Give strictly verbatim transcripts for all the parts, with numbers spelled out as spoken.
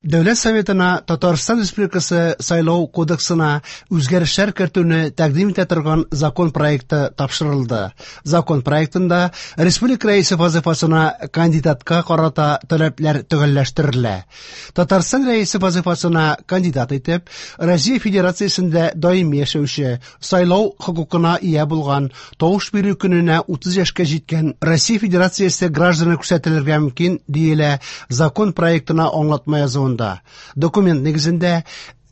Дәүләт Советына Татарстан Республикасы Сайлау кодексына үзгәрешләр кертүне тәкъдим итә торган закон проекты тапшырылды. Закон проектында республика рәисе вазифасына кандидатка карата таләпләр төгәлләштерелә. Татарстан рәисе вазифасына кандидат итеп Россия Федерациясендә даими яшәүче, сайлау хокукына ия булган, тавыш бирү көненә утыз яшькә җиткән Россия Федерациясе гражданы күрсәтелергә мөмкин, диелә закон проектына аңлатма язуында. Документ нигезендә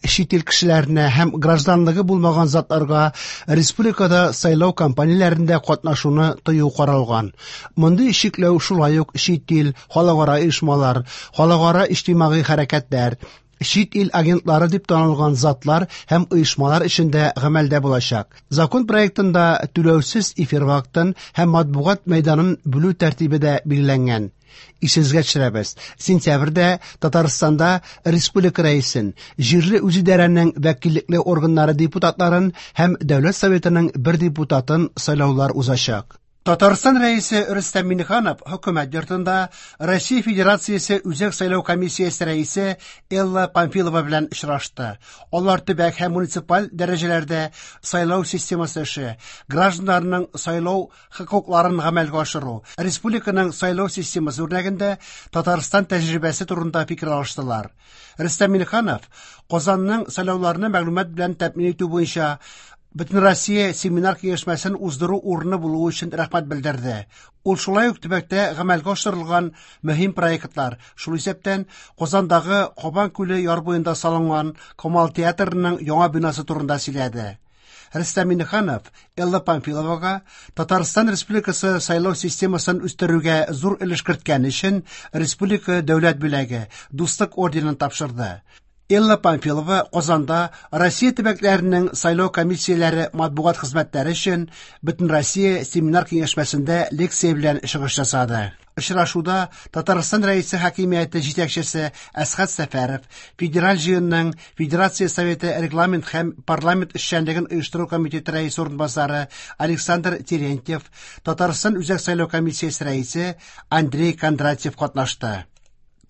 чит ил кешеләренә һәм гражданлыгы булмаган затларга республикада сайлау кампанияләрендә катнашуны тыю каралган. Мондый чикләү шулай ук чит ил, халыкара оешмалар, халыкара иҗтимагый хәрәкәтләр, чит ил агентлары дип танылган затлар һәм оешмалар эчендә гамәлдә булачак. Закон проектында түләүсез эфир вакытын һәм матбугат мәйданын бүлү тәртибе дә билгеләнгән. Исегезгә төшерәбез. Сентябрьдә Татарстанда республика рәисен, җирле үзидарәнең вәкиллекле органнары депутатларын һәм Дәүләт Советының бер депутатын сайлаулар узачак. Татарстан рәисе Рөстәм Миңнеханов хөкүмәт йортында Россия Федерациясе Үзәк сайлау комиссиясе рәисе Элла Памфилова белән очрашты. Алар төбәк һәм муниципаль дәрәҗәләрдә сайлау системасы эше, гражданнарның сайлау хокукларын гамәлгә ашыру, республиканың сайлау системасы үрнәгендә Татарстан тәҗрибәсе турында фикер алыштылар. Рөстәм Миңнеханов Казанның сайлауларны мәгълүмат белән тәэмин итү буенча Бөтенроссия семинар киңәшмәсен уздыру урыны булуы өчен рәхмәт белдерде. Ул шулай ук төбәктә гамәлгә ашырылган мөһим проектлар, шул исәптән Казандагы Кабан күле яр буенда салынган Камал театрының яңа бинасы турында сөйләде. Рөстәм Миңнеханов Элла Памфиловага Татарстан Республикасы сайлау системасын үстерүгә зур өлеш керткән өчен республика дәүләт бүләге Дуслык орденын тапшырды. Элла Памфилова Казанда Россия төбәкләренең сайлау комиссияләре матбугат хезмәтләре өчен Бөтенроссия семинар киңәшмәсендә лекция белән чыгыш ясады. Очрашуда Татарстан Рәисе хакимияте җитәкчесе Әсхәт Сәфәров, Федераль җыенның Федерация Советы регламент һәм парламент эшчәнлеген оештыру комитеты рәисе урынбасары Александр Терентьев, Татарстан Үзәк сайлау комиссиясе рәисе Андрей Кондратьев катнашты.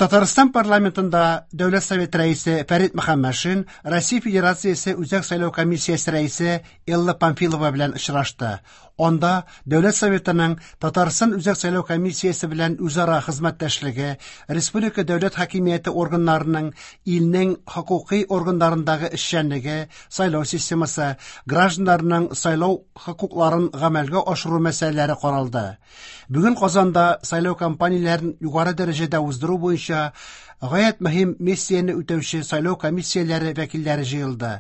Татарстан парламентында Дәүләт Советы рәисе Фәрит Мөхәммәтшин Россия Федерациясе Үзәк сайлау комиссиясе рәисе Элла Памфилова белән очрашты. Анда Дәүләт Советының Татарстан Үзәк сайлау комиссиясе белән үзара хезмәттәшлеге, республика дәүләт хакимияте органнарының илнең хокукый органнарындагы эшчәнлеге, сайлау системасы, гражданнарның сайлау хокукларын гамәлгә ашыру мәсьәләләре каралды. Бүген Казанда сайлау кампанияләрен югары дәрәҗәдә уздыру буенча гаять мөһим миссияне үтәүче сайлау комиссияләре вәкилләре җыелды.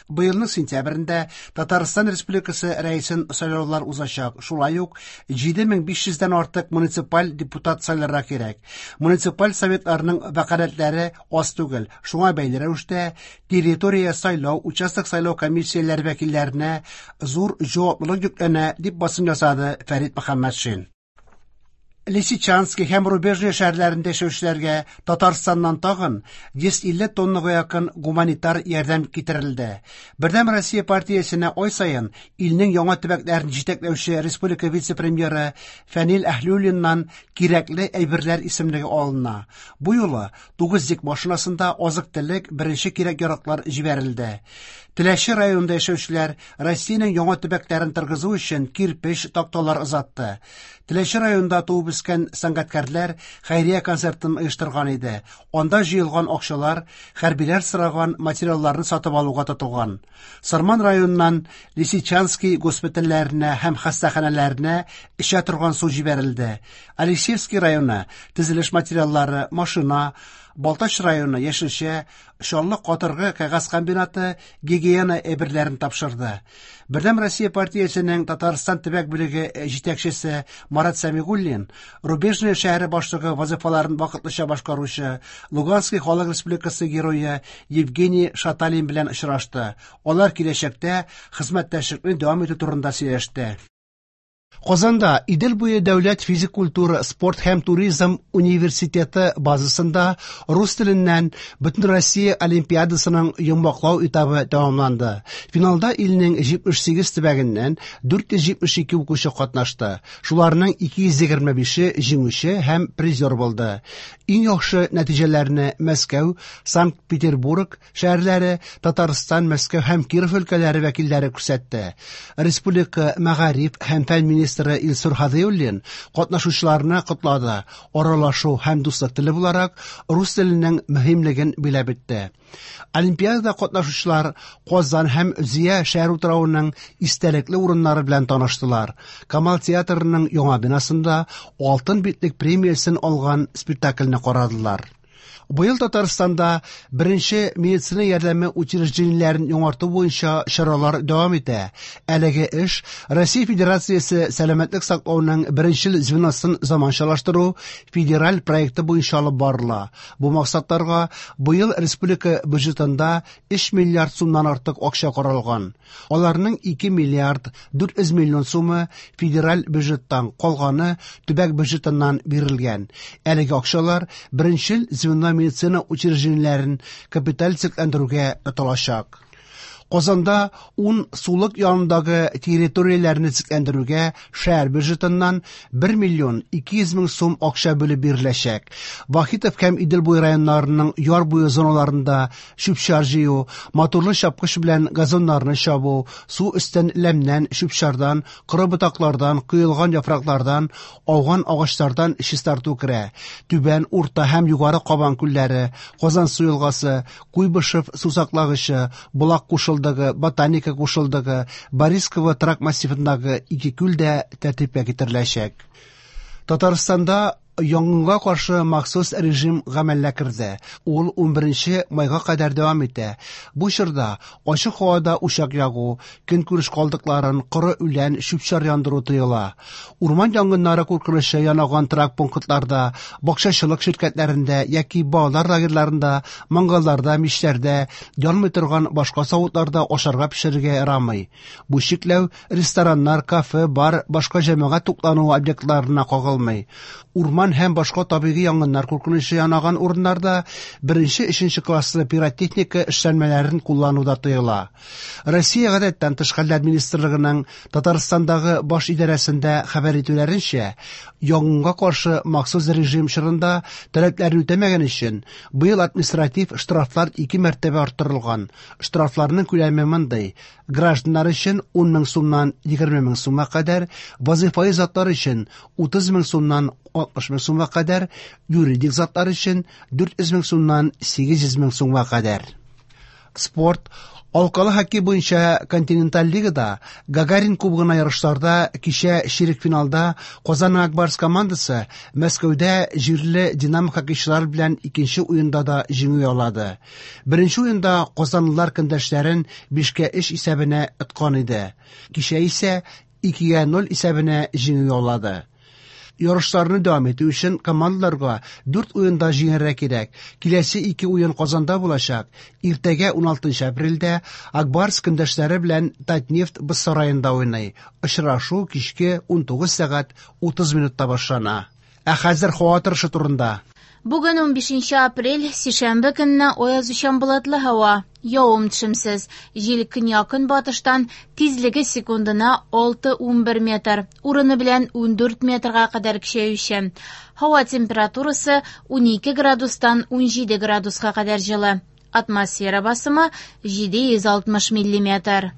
Быелның сентябрендә Татарстан Республикасы рәисен сайлаулар узачак. Шулай ук җиде мең биш йөздән артык муниципаль депутат сайларга кирәк. Муниципаль советларның вәкаләтләре аз түгел. Шуңа бәйле рәвештә территория сайлау, участок сайлау комиссияләре вәкилләренә зур җаваплылык йөкләнә, дип басым ясады Фәрит Мөхәммәтшин. Лисичанский һәм Рубежный шәһәрләрендә яшәүчеләргә Татарстаннан тагын йөз илле тоннага якын гуманитар ярдәм китерелде. Бердәм Россия партиясенә ай саен илнең яңа төбәкләрен җитәкләүче республика вице-премьеры Фәнил Әһлиуллиннан кирәкле әйберләр исемлеге алына. Бу юлы тугыз йөк машинасында азык-төлек, беренче кирәк-яраклар җибәрелде. Теләче районында яшәүчеләр Россиянең яңа төбәкләрен торгызу өчен кирпеч, такталар озатты. Теләче районында туып үскән сәнгатькәрләр хәйрия концертын оештырган иде. Анда җыелган акчалар хәрбиләр сораган материалларны сатып алуга тотылган. Сарман районыннан Лисичанский госпитальләренә һәм хастаханәләренә эчә торган су җибәрелде. Алексеевский районы төзелеш материаллары, машина, Балтач районы яшелчә, Чаллы катыргы кәгазь комбинаты гигиена әйберләрен тапшырды. Бердәм Россия партиясенең Татарстан төбәк бүлеге җитәкчесе Марат Сәмигуллин, Рубежное шәһәре башлыгы вазифаларын вакытлыча башкаручы Луганский халык республикасы герое Евгений Шаталин белән очрашты. Алар киләчәктә хезмәттәшлекне дәвам итү турында сөйләште. Казанда Идел буе дәүләт физик культура, спорт һәм туризм университеты базасында рус теленнән Бөтенроссия олимпиадасының йомгаклау этабы тәмамланды. Финалда илнең җитмеш сигез төбәгеннән дүрт йөз җитмеш ике укучы катнашты. Шуларның ике йөз егерме бише җиңүче һәм призер булды. Иң яхшы нәтиҗәләрне Мәскәү, Санкт-Петербург шәһәрләре, Татарстан, Мәскәү һәм Киров өлкәләре вәкилләре күрсәтте. Республика мәгариф һәм фән министры Илсур Һадиуллин катнашучыларны котлады. Аралашу һәм дуслык теле буларак рус теленең мөһимлеген биләп үтте. Олимпиадада катнашучылар Казан һәм Зөя шәһәр утравының истәлекле урыннары белән таныштылар. Камал театрының яңа бинасында Алтын битлек премиясен алган спектакльне карадылар. Быел Татарстанда беренче медицина ярдәме учреждениеләрен яңарту буенча чаралар дәвам итә. Әлеге эш Россия Федерациясе сәламәтлек саклауның беренчел звеносын заманчалаштыру федераль проекты буенча алып барыла. Бу максатларга быел республика бюджетында өч миллиард сумнан артык акча каралган. Аларның ике миллиард дүрт йөз миллион сумы федераль бюджеттан, калганы төбәк бюджетыннан бирелгән. Әлеге акчалар беренчел звено медицина учреждениеләрен капиталь төзекләндерүгә тотылачак. Казанда ун сулык янындагы территорияләрне төзекләндерүгә шәһәр бюджетыннан бер миллион ике йөз мең сум акча бүлеп биреләчәк. Вахитов һәм Идел буе районнарының яр буе зоналарында чүп-чар җыю, моторлы чапкыч белән газоннарны чабу, су өстен ләмнән, чүп-чардан, коры ботаклардан, коелган яфраклардан, ауган агачлардан чистарту керә. Түбән, Урта һәм Югары Кабан күлләре, Казан су елгасы, Куйбышев сусаклагычы, Болак кушылдыгы, Ботаника кушылдыгы, Борисково торак массивындагы ике күл дә тәртипкә китереләчәк. Татарстанда янгынга каршы махсус режим гамәлгә керде. Ул унберенче майга кадәр дәвам итә. Бу чорда ачык һавада учак ягу, көнкүреш калдыкларын, коры үлән, чүп-чар яндыру тыела. Урман янгыннары куркынычы янаган торак пунктларда, бакчачылык ширкәтләрендә яки балалар лагерьларында, мангалларда, мичләрдә, янмый торган башка савытларда ашарга пешерергә ярамый. Бу чикләү рестораннар, кафе, бар, башка җәмәгать туклануы объектларына кагылмый. Урман һәм башка табигый янгыннар куркынычы янаган урыннарда беренче, өченче класслы пиротехника эшләнмәләрен куллану да тыела. Россия гадәттән тыш хәлләр министрлыгының Татарстандагы баш идарәсендә хәбәр итүләренчә, янгынга каршы махсус режим чорында таләпләрне үтәмәгән өчен быел административ штрафлар ике мәртәбә арттырылган. Штрафларның күләме мондый: гражданнар өчен ун мең сумнан егерме мең сумга кадәр, вазифаи затлар өчен утыз мең сумнан алтмыш мең сумга кадәр, юридик затлар өчен дүрт йөз мең сумнан сигез йөз мең сумга кадәр. Спорт. Алкалы хоккей буенча континенталь лигада Гагарин кубогына ярышларда кичә чирек финалда Казан Ак Барс командасы Мәскәүдә җирле Динамо хоккейчылары белән икенче уенда да җиңү яулады. Беренче уенда казанлылар көндәшләрен бишкә өч исәбенә откан иде. Кичә исә икегә ноль исәбенә җиңү яулады. Ярышларны дәвам итү өчен командаларга дүрт уенда җиңәргә кирәк. Киләсе ике уен Казанда булачак. Иртәгә уналтынчы апрельдә Ак Барс көндәшләре белән Татнефть боз сараенда уйный. Очрашу кичке унтугыз сәгать утыз минутта башлана. Ә хәзер һава торышы турында. Бүген унбишенче апрель, сишәмбе көнне аязучан болытлы һава. Явым төшемсез. Җил көньяк-көнбатыштан, тизлеге секундына алты унбер метр, урыны белән ундүрт метрга кадәр көчәюче. Һава температурасы унике градустан унҗиде градуска кадәр җылы. Атмосфера басымы җиде йөз алтмыш миллиметр.